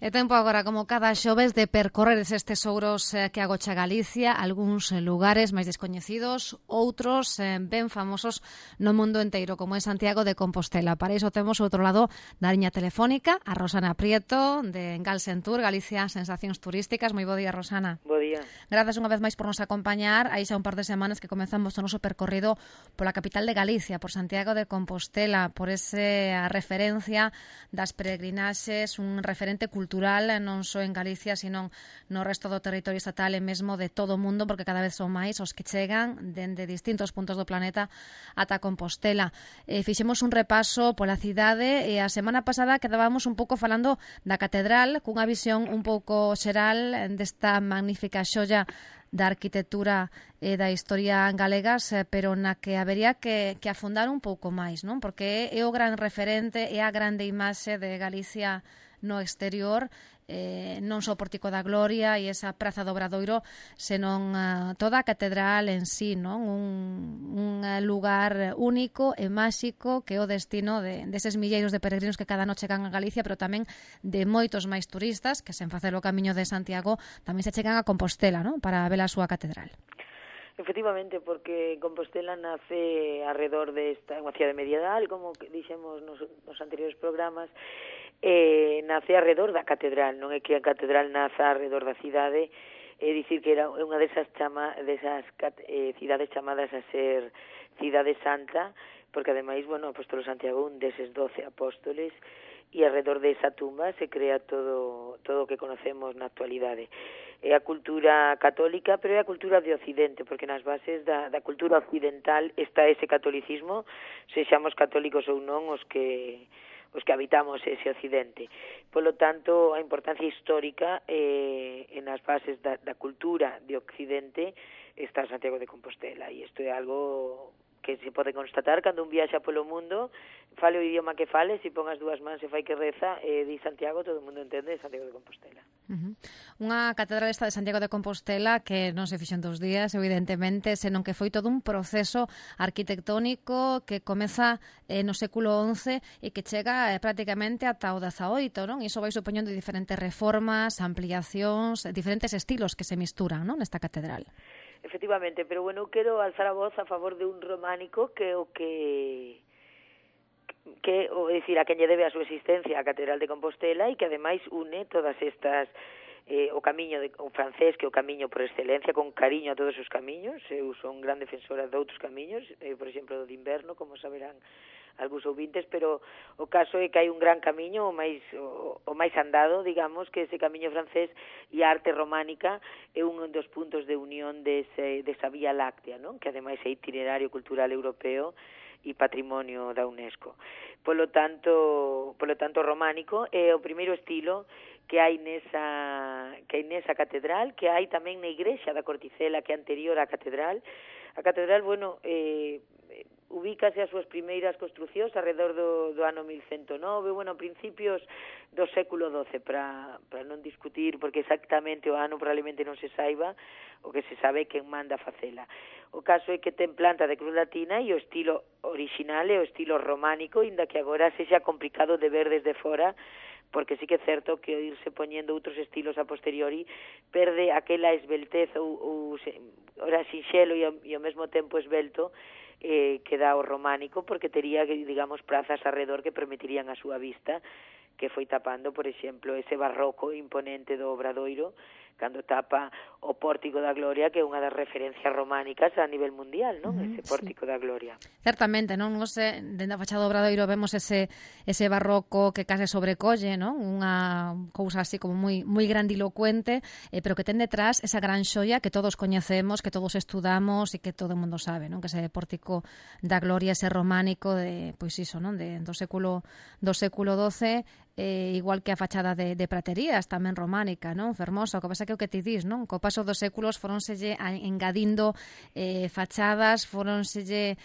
É tempo agora, como cada xoves, de percorrer estes tesouros que agocha Galicia, algúns lugares máis descoñecidos, outros ben famosos no mundo enteiro, como é Santiago de Compostela. Para iso temos outro lado da liña telefónica, a Rosana Prieto, de Galsentur, Galicia Sensacións Turísticas. Moi bo día, Rosana. Bo día. Grazas unha vez máis por nos acompañar. Aí xa un par de semanas que comezamos o noso percorrido pola capital de Galicia, por Santiago de Compostela, por esa referencia das peregrinaxes, un referente cultural non só en Galicia, sino no resto do territorio estatal e mesmo de todo o mundo, porque cada vez son máis os que chegan dende distintos puntos do planeta ata Compostela. Fixemos un repaso pola cidade e a semana pasada quedábamos un pouco falando da catedral, cunha visión un pouco xeral desta magnífica xoia da arquitectura e da historia galegas, pero na que habería que afondar un pouco máis, non? Porque é o gran referente, é a grande imaxe de Galicia no exterior, non só o Pórtico da Gloria e esa Praza do Obradoiro, senón toda a catedral en sí, non? Un lugar único e máxico que é o destino deses milleiros de peregrinos que cada noche chegan a Galicia, pero tamén de moitos máis turistas que, sen facer o camiño de Santiago, tamén se chegan a Compostela, non? Para ver a súa catedral. Efectivamente, porque Compostela nace alrededor desta unha cidade medieval, como dixemos nos anteriores programas, nace alrededor da catedral, non é que a catedral naza alrededor da cidade, é dicir que era unha desas cidades chamadas a ser cidade santa, porque ademais, bueno, o apóstolo Santiago, un deses 12 apóstoles, e alrededor desa tumba se crea todo o que conocemos na actualidade. É a cultura católica, pero é a cultura de Occidente, porque nas bases da cultura occidental está ese catolicismo, sexamos católicos ou non os que habitamos ese Occidente. Polo tanto, a importancia histórica en as bases da cultura de Occidente está Santiago de Compostela, e isto é algo que se pode constatar cando un viaxa polo mundo, fale o idioma que fale, se pon as dúas mans e fai que reza, di Santiago, todo o mundo entende Santiago de Compostela. Unha catedral esta de Santiago de Compostela que non se fixo en 2 días, evidentemente, senón que foi todo un proceso arquitectónico que comeza no século XI e que chega prácticamente ata o XVIII, non? E iso vai supoñendo diferentes reformas, ampliacións, diferentes estilos que se misturan, non? Nesta catedral. Efectivamente, pero bueno, quero alzar a voz a favor de un románico que o decir, a quen lle debe a súa existencia a Catedral de Compostela e que ademais une todas estas o camiño o francés, que é o camiño por excelencia, con cariño a todos os camiños. Eu son gran defensora de outros camiños, por exemplo, do de inverno, como saberán algúns ouvintes, pero o caso é que hai un gran camiño, o máis andado, digamos, que ese camiño francés, e a arte románica é un dos puntos de unión desa Vía Láctea, non? Que ademais é itinerario cultural europeo e patrimonio da UNESCO. Polo tanto románico é o primeiro estilo que hai nesa catedral, que hai tamén na igrexa da Corticela, que é anterior á catedral. A catedral, bueno, ubícase as súas primeiras construcións alrededor do ano 1109, bueno, principios do século XII, para non discutir, porque exactamente o ano probablemente non se saiba, o que se sabe quen manda facela. O caso é que ten planta de cruz latina e o estilo original é o estilo románico, inda que agora sexa complicado de ver desde fora, porque sí que é certo que o irse poñendo outros estilos a posteriori perde aquela esbeltez ou ora sinxelo e ao mesmo tempo esbelto que dá o románico, porque tería, digamos, prazas alrededor que permitirían a súa vista, que foi tapando, por exemplo, ese barroco imponente do Obradoiro, cando tapa o Pórtico da Gloria, que é unha das referencias románicas a nivel mundial, non? Ese Pórtico da Gloria. Certamente, non? Dende a fachada do Obradoiro vemos ese barroco que case sobrecolle, non? Unha cousa así como moi grandilocuente, pero que ten detrás esa gran xoia que todos coñecemos, que todos estudamos e que todo o mundo sabe, non? Que ese Pórtico da Gloria, ese románico pois iso, non? Do século XII, igual que a fachada de Praterías, tamén románica, non? Fermosa, o que pasa que o que ti dis, non? Co paso dos séculos foronselle engadindo fachadas, foise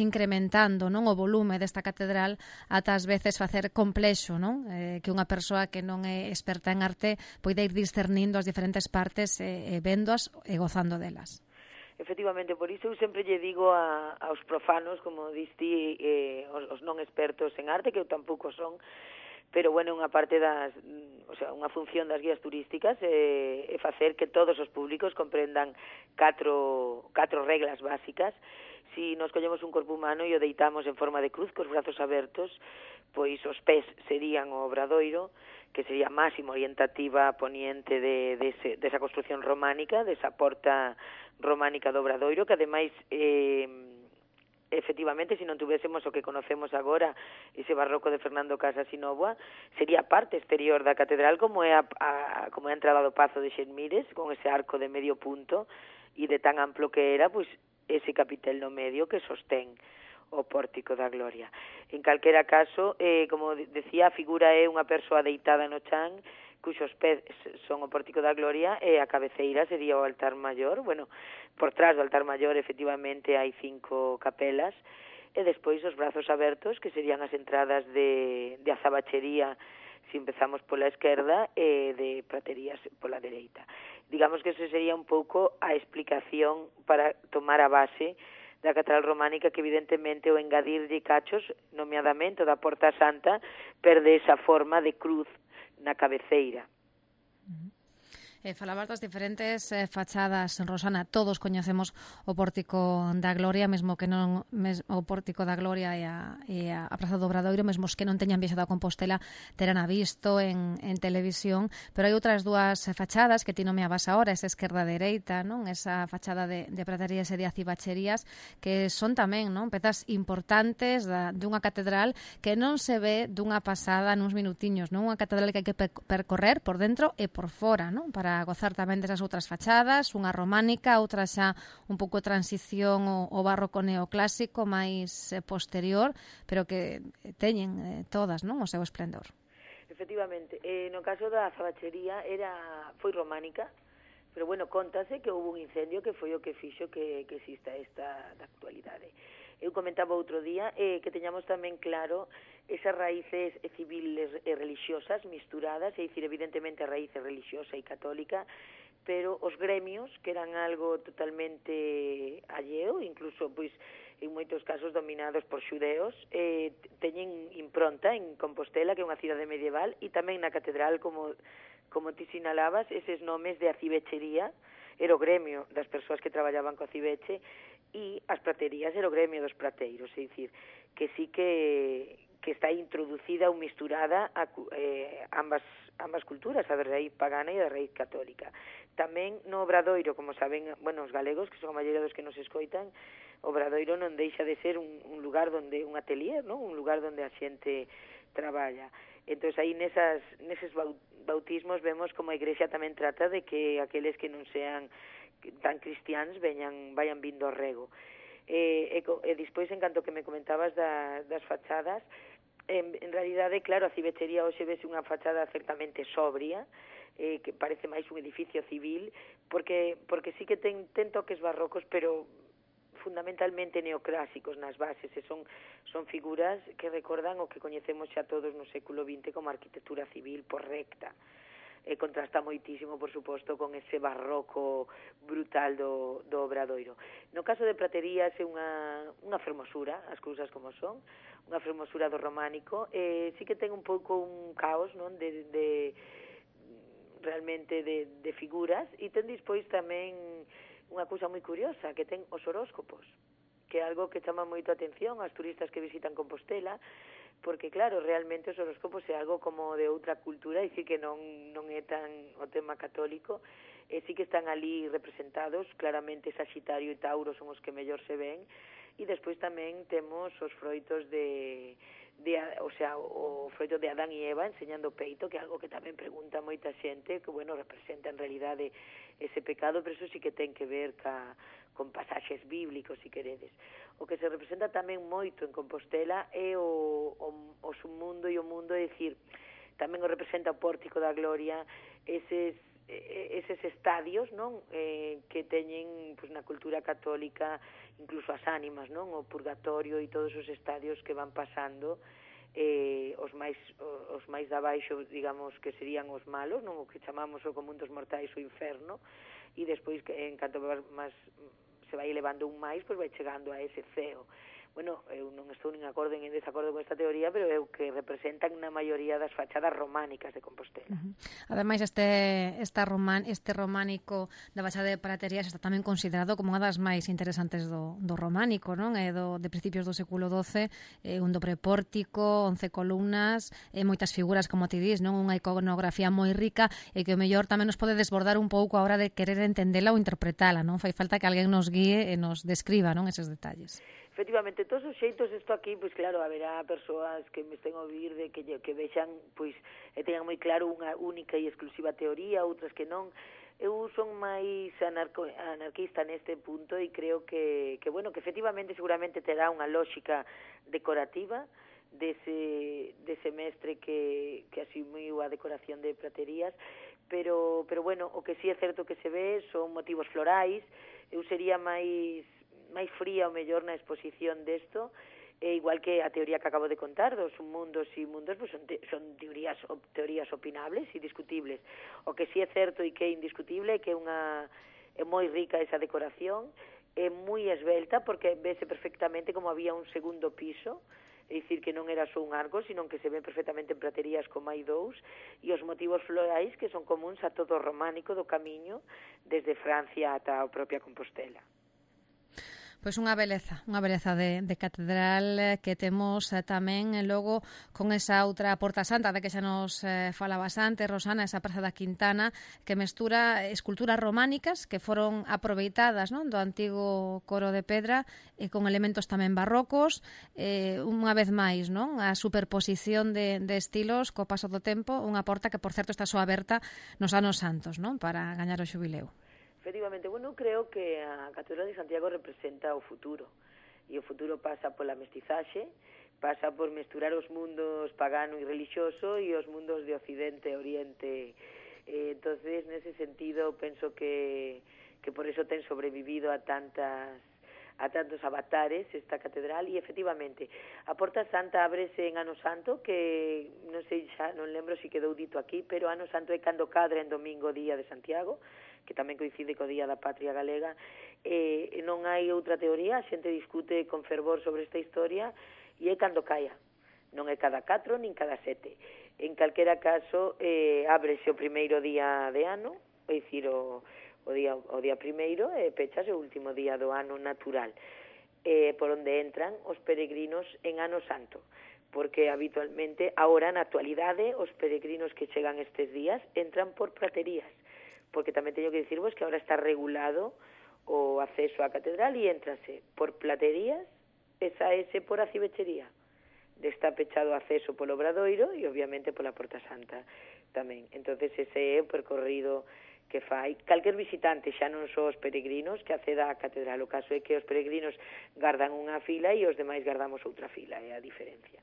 incrementando, non? O volume desta catedral ata ás veces facer complexo, non? Que unha persoa que non é experta en arte poida ir discernindo as diferentes partes, véndoas e gozando delas. Efectivamente, por iso eu sempre lle digo aos profanos, como diste, os non expertos en arte, que eu tampouco son, pero bueno, unha parte unha función das guías turísticas é facer que todos os públicos comprendan catro reglas básicas. Si nos collemos un corpo humano e o deitamos en forma de cruz, cos brazos abertos, pois os pés serían o obradoiro, que sería a máxima orientativa poniente desa construción románica, desa porta románica do obradoiro, que ademais efectivamente, se non tuvésemos o que conocemos agora, ese barroco de Fernando Casas e Novoa, sería a parte exterior da catedral, como é a entrada do Pazo de Xenmires, con ese arco de medio punto, e de tan amplo que era, pois, ese capitel no medio que sostén o pórtico da Gloria. En calquera caso, como decía, a figura é unha persoa deitada no chan, cuxos pés son o pórtico da Gloria, e a cabeceira sería o altar maior. Bueno, por trás do altar maior, efectivamente, hai 5 capelas, e despois os brazos abertos, que serían as entradas de azabachería, se empezamos pola esquerda, e de praterías pola dereita. Digamos que esa sería un pouco a explicación para tomar a base da catedral románica, que evidentemente o engadirlle cachos, nomeadamente da Porta Santa, perde esa forma de cruz na cabeceira. Falabas das diferentes fachadas, Rosana. Todos coñecemos o Pórtico da Gloria, mesmo que non o Pórtico da Gloria e a Praza do Obradoiro, mesmo que non teñan viaxado a Compostela, terán a visto en televisión, pero hai outras dúas fachadas que ti nomeabas agora, esa esquerda dereita, non? Esa fachada de praterías e de acibacherías, que son tamén, non, pezas importantes dunha catedral que non se ve dunha pasada nuns minutiños, non? Unha catedral que hai que percorrer por dentro e por fora, non? Para gozar tamén desas outras fachadas, unha románica, outra xa un pouco transición ao barroco neoclásico máis posterior, pero que teñen todas, non, o seu esplendor. Efectivamente, no caso da azabachería foi románica, pero bueno, contase que houve un incendio que foi o que fixo que exista esta da actualidade. Eu comentaba outro día que teñamos tamén claro esas raíces civiles e religiosas misturadas, é dicir, evidentemente a raíz religiosa e católica, pero os gremios, que eran algo totalmente alleo, incluso, pois, en moitos casos dominados por xudeos, teñen impronta en Compostela, que é unha cidade medieval, e tamén na catedral, como ti sinalabas, eses nomes de acibechería, era o gremio das persoas que traballaban co acibeche, e as praterías era o gremio dos prateiros, é dicir, que sí que está introducida ou misturada ambas culturas, a da raíz pagana e a da raíz católica. Tamén no Obradoiro, como saben, bueno, os galegos, que son a maioría dos que nos escoitan, o Obradoiro non deixa de ser un lugar donde un atelier, non? Un lugar donde a xente traballa. Entón, aí neses bautismos vemos como a Igrexa tamén trata de que aqueles que non sean tan cristiáns vayan vindo ao rego. E despois, en canto que me comentabas das fachadas, en realidade, claro, a cibechería hoxe vese unha fachada certamente sobria, que parece máis un edificio civil, porque sí que ten toques barrocos, pero fundamentalmente neoclásicos nas bases, e son figuras que recordan o que coñecemos xa todos no século XX como arquitectura civil por recta. Contrasta moitísimo, por suposto, con ese barroco brutal do Obradoiro. No caso de praterías é unha fermosura, as cousas como son, unha fermosura do románico, sí que ten un pouco un caos, non, realmente de figuras, e ten despois tamén unha cousa moi curiosa, que ten os horóscopos, que é algo que chama moito a atención ás turistas que visitan Compostela, porque claro, realmente os horóscopos é algo como de outra cultura, e sí que non é tan o tema católico, e sí que están ali representados, claramente Saxitario e Tauro son os que mellor se ven, e despois tamén temos os froitos o froito de Adán e Eva enseñando o peito, que é algo que tamén pregunta moita xente, que bueno, representa en realidade ese pecado, pero eso sí que ten que ver con pasaxes bíblicos, si queredes. O que se representa tamén moito en Compostela é o submundo e o mundo, é dicir, tamén o representa o Pórtico da Gloria, eses estadios, non, que teñen pois, na cultura católica, incluso as ánimas, non, o purgatorio e todos os estadios que van pasando, os máis de abaixo, digamos, que serían os malos, non, o que chamamos o común dos mortais o inferno, e despois, en canto máis se vai elevando un máis, pois vai chegando a ese ceo. bueno, eu non estou nin acordo nin en desacordo con esta teoría, pero é o que representan na maioría das fachadas románicas de Compostela. Ademais, este románico da Baixada de Praterías está tamén considerado como unha das máis interesantes do románico, non? De principios do século XII, un dobre pórtico, 11 columnas, moitas figuras, como ti dis, non? Unha iconografía moi rica e que o mellor tamén nos pode desbordar un pouco a hora de querer entendela ou interpretala, non? Fai falta que alguén nos guíe e nos describa, non, eses detalles. Efectivamente, todos os xeitos isto aquí, pois claro, haberá persoas que me estén a ouvir de que vexan, pois, e teñan moi claro unha única e exclusiva teoría, outras que non. Eu son máis anarquista neste punto e creo que bueno, que efectivamente seguramente terá unha lógica decorativa dese mestre que asumiu a decoración de praterías, pero bueno, o que sí é certo que se ve son motivos florais. Eu sería máis fría o mellor na exposición desto, igual que a teoría que acabo de contar dos mundos e mundos, pues son teorías opinables e discutibles. O que sí é certo e que é indiscutible é que é moi rica esa decoración, é moi esbelta porque vese perfectamente como había un segundo piso, é dicir que non era só un arco, sino que se ven perfectamente en praterías como hai dous, e os motivos florais que son comuns a todo o románico do camiño desde Francia ata a propia Compostela. Pois unha beleza de catedral que temos tamén logo con esa outra Porta Santa de que xa nos falabas antes, Rosana, esa Praza da Quintana, que mestura esculturas románicas que foron aproveitadas, non, do antigo coro de pedra e con elementos tamén barrocos, unha vez máis, non, a superposición de estilos co paso do tempo, unha porta que, por certo, está só aberta nos anos santos, non, para gañar o xubileo. Efectivamente, bueno, creo que a Catedral de Santiago representa o futuro, e o futuro pasa pola mestizaxe, pasa por mesturar os mundos pagano e religioso e os mundos de Occidente e Oriente. Entonces, nese sentido, penso que por eso ten sobrevivido a tantos avatares esta catedral, e efectivamente a Porta Santa ábrese en Ano Santo, que non sei, xa non lembro se quedou dito aquí, pero Ano Santo é cando cadra en domingo día de Santiago, que tamén coincide co Día da Patria Galega. Non hai outra teoría, a xente discute con fervor sobre esta historia, e é cando caia, non é cada 4 nin cada 7. En calquera caso, ábrese o primeiro día de ano, é dicir, o día primeiro, e pechase o último día do ano natural, por onde entran os peregrinos en Ano Santo, porque habitualmente, agora na actualidade, os peregrinos que chegan estes días entran por praterías, porque tamén teño que dicirvos que agora está regulado o acceso á catedral e entrase por platerías e saese por acibechería. Está pechado o acceso polo Obradoiro e obviamente pola Porta Santa tamén. Entonces ese é o percorrido que fai calquer visitante, xa non só os peregrinos que acceda á catedral. O caso é que os peregrinos gardan unha fila e os demais gardamos outra fila, é a diferencia.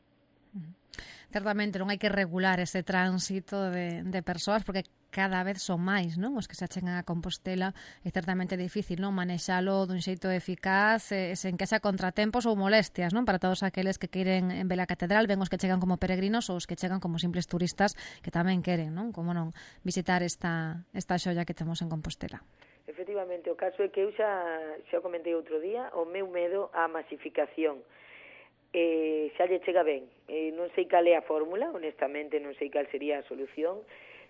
Certamente non hai que regular ese tránsito de persoas porque cada vez son máis, non, os que se achegan a Compostela. É certamente difícil, non, manexalo dun xeito eficaz sen que xa contratempos ou molestias, non, para todos aqueles que queren ver a catedral, ben os que chegan como peregrinos ou os que chegan como simples turistas que tamén queren, non, como non, visitar esta xoia que temos en Compostela. Efectivamente, o caso é que eu xa comentei outro día o meu medo á masificación. Xa lle chega ben. Non sei cal é a fórmula, honestamente non sei cal sería a solución,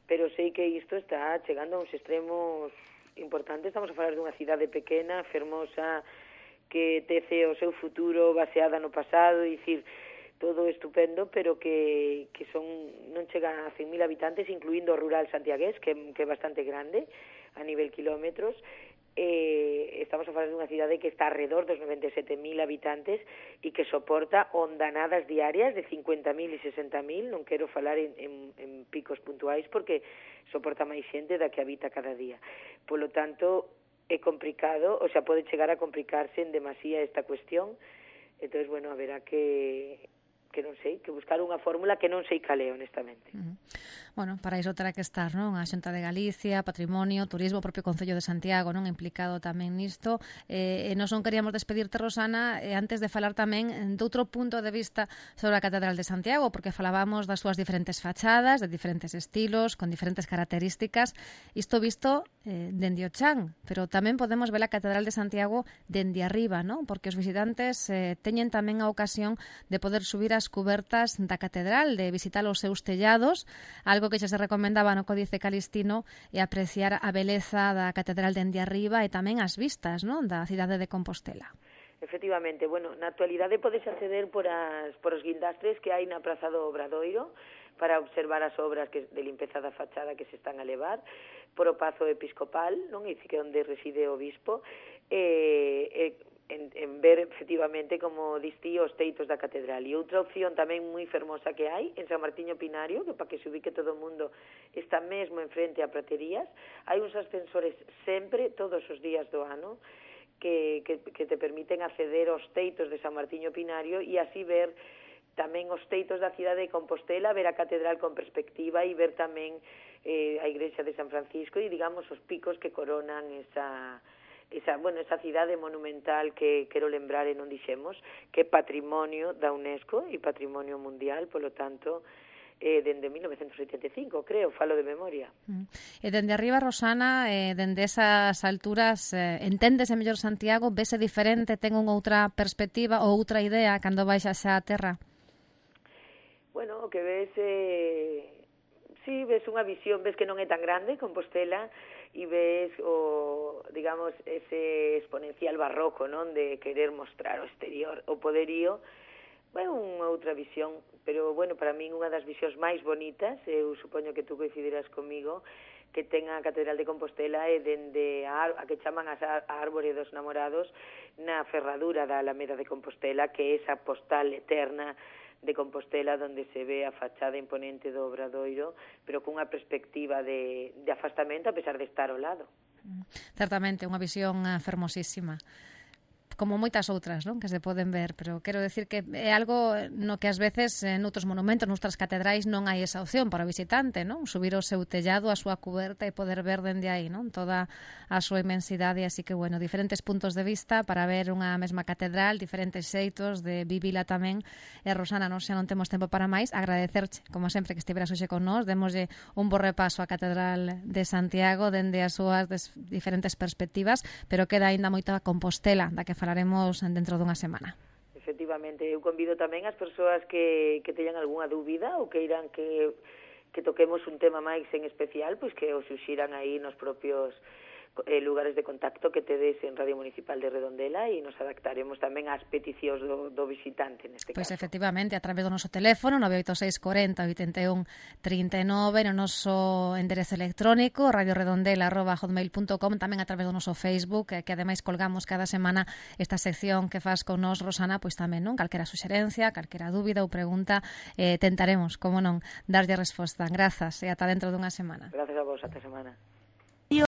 pero sei que isto está chegando a uns extremos importantes. Estamos a falar dunha cidade pequena, fermosa, que tece o seu futuro baseada no pasado, e dicir, todo estupendo, pero que non chega a 100.000 habitantes, incluindo o rural santiagués, que é bastante grande a nivel kilómetros. Estamos a falar dunha cidade que está alrededor dos 97.000 habitantes e que soporta ondanadas diarias de 50.000 e 60.000, non quero falar en picos puntuais porque soporta máis xente da que habita cada día. Polo tanto, é complicado, o sea, pode chegar a complicarse en demasía esta cuestión. Entonces, bueno, haberá que non sei, que buscar unha fórmula que non sei cal é, honestamente. Bueno, para iso terá que estar, non? A Xunta de Galicia, Patrimonio, Turismo, o propio Concello de Santiago, non? Implicado tamén nisto. Nós non queríamos despedirte, Rosana, antes de falar tamén doutro punto de vista sobre a Catedral de Santiago, porque falábamos das súas diferentes fachadas, de diferentes estilos, con diferentes características. Isto visto dende o chan, pero tamén podemos ver a Catedral de Santiago dende arriba, non? Porque os visitantes teñen tamén a ocasión de poder subir as cubertas da Catedral, de visitar os seus tellados, algo que xa se recomendaba no Códice Calistino, e apreciar a beleza da catedral dende arriba e tamén as vistas, non, da cidade de Compostela. Efectivamente, bueno, na actualidade podes acceder por os guindastres que hai na Praza do Obradoiro para observar as obras de limpeza da fachada que se están a levar, por o Pazo Episcopal, non, e que onde reside o bispo, en ver efectivamente como distí os teitos da catedral. E outra opción tamén moi fermosa que hai en San Martiño Pinario, que para que se ubique todo o mundo está mesmo enfrente a Praterías, hai uns ascensores sempre, todos os días do ano, que te permiten acceder aos teitos de San Martiño Pinario e así ver tamén os teitos da cidade de Compostela, ver a catedral con perspectiva e ver tamén a igrexa de San Francisco e, digamos, os picos que coronan esa cidade monumental que quero lembrar e non dixemos, que é patrimonio da UNESCO e patrimonio mundial, polo tanto, dende 1985, creo, falo de memoria. E dende arriba, Rosana, dende esas alturas, enténdese mellor Santiago, vese diferente, ten unha outra perspectiva ou outra idea cando baixas á terra? Bueno, o que ves, sí, ves unha visión, ves que non é tan grande Compostela, e ves digamos, ese exponencial barroco, non, de querer mostrar o exterior, o poderío. É unha outra visión, pero, bueno, para min unha das visións máis bonitas, eu supoño que tú coincidirás comigo, que ten a Catedral de Compostela é dende a que chaman a Árbore dos Namorados na ferradura da Alameda de Compostela, que é esa postal eterna de Compostela, donde se ve a fachada imponente do Obradoiro, pero cunha perspectiva de afastamento, a pesar de estar ao lado. Certamente, unha visión fermosísima, como moitas outras, non, que se poden ver, pero quero decir que é algo no que ás veces noutros monumentos, noutras catedrais non hai esa opción para o visitante, non? Subir o seu tellado, a súa cuberta e poder ver dende aí, non? Toda a súa inmensidade, así que, bueno, diferentes puntos de vista para ver unha mesma catedral, diferentes xeitos de vivila tamén. E, Rosana, non xa non temos tempo para máis, agradecerche, como sempre, que estiveras hoxe con nós, démoslle un bo repaso á Catedral de Santiago dende as súas diferentes perspectivas, pero queda aínda moita Compostela, da que falaremos dentro dunha semana. Efectivamente, eu convido tamén as persoas que teñan algunha dúbida ou que irán que toquemos un tema máis en especial, pois que o suxiran aí nos propios lugares de contacto que tedes en Radio Municipal de Redondela e nos adaptaremos tamén ás peticións do visitante neste caso. Pois efectivamente, a través do noso teléfono 986 40 81 39, no noso enderezo electrónico radioredondela@hotmail.com, tamén a través do noso Facebook, que ademais colgamos cada semana esta sección que faz con nós, Rosana, pois tamén, non? Calquera suxerencia, calquera dúbida ou pregunta, tentaremos, como non, darlle resposta. Grazas e ata dentro dunha semana. Grazas a vos, ata semana.